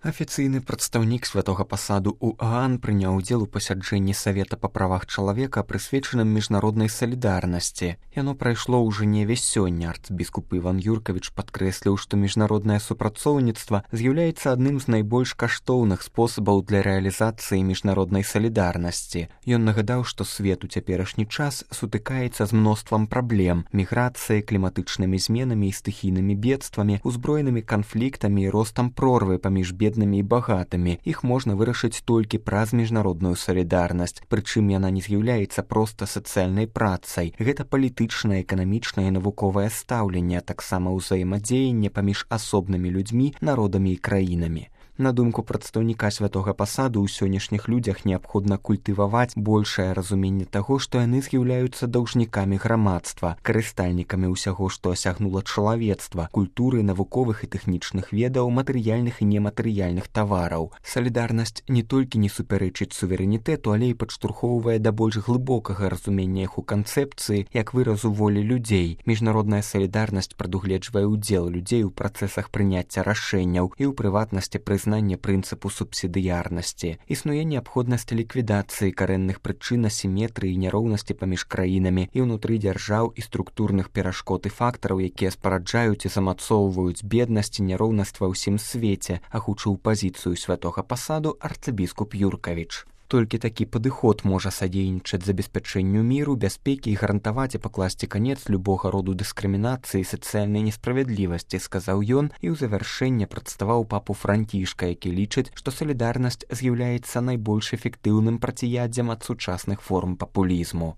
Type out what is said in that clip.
Афіцыйны прадстаўнік святога пасаду ў Аан прыняў удзел у пасяджэнні Савета па правах чалавека, прысвечаным міжнароднай салідарнасці. Яно прайшло ў Жэневе сёння. Арцбіскуп Іван Юркавіч падкрэсліў, што міжнароднае супрацоўніцтва з'яўляецца адным з найбольш каштоўных спосабаў для рэалізацыі міжнароднай салідарнасці. Ён нагадаў, што свет у цяперашні час сутыкаецца з мноствам праблем: міграцыяй, кліматычнымі зменамі і стыхійнымі бедствамі, узброенымі канфліктамі і ростам прорвы паміж беднымі і багатымі. Іх можна вырашыць толькі праз міжнародную салідарнасць, прычым яна не з'яўляецца проста сацыяльнай працай. Гэта палітычнае, эканамічнае і навуковае стаўленне, а таксама ўзаемадзеянне паміж асобнымі людзьмі, народамі і краінамі. На думку прадстаўніка святога пасаду, у сённяшніх людзях неабходна культываваць большае разуменне таго, што яны з'яўляюцца даўжнікамі грамадства, карыстальнікамі ўсяго, што асягнула чалавецтва, культуры, навуковых і тэхнічных ведаў, матэрыяльных і нематэрыяльных тавараў. Салідарнасць не толькі не супярэчыць суверэнітэту, але і падштурхоўвае да больш глыбокага разумення іх у канцэпцыі як выразу волі людзей. Міжнародная салідарнасць прадугледжвае ўдзел людзей у працэсах прыняцця рашэнняў і ў прыватнасці прызнання прынцыпу субсідыярнасці. Існуе неабходнасць ліквідацыі карэнных прычын асіметрыі і няроўнасці паміж краінамі і ўнутры дзяржаў і структурных перашкод і фактараў, якія спараджаюць і замацоўваюць беднасць і няроўнасць ва ўсім свеце, агучыў пазіцыю святога пасаду арцыбіскуп Юркавіч. Толькі такі падыход можа садзейнічаць забеспячэнню міру, бяспекі і гарантаваць і пакласці канец любога роду дыскрымінацыі і сацыяльнай несправядлівасці, сказаў ён, і ў завяршэнне прадставаў папу Францішка, які лічыць, што салідарнасць з'яўляецца найбольш эфектыўным працяядзем ад сучасных форм папулізму.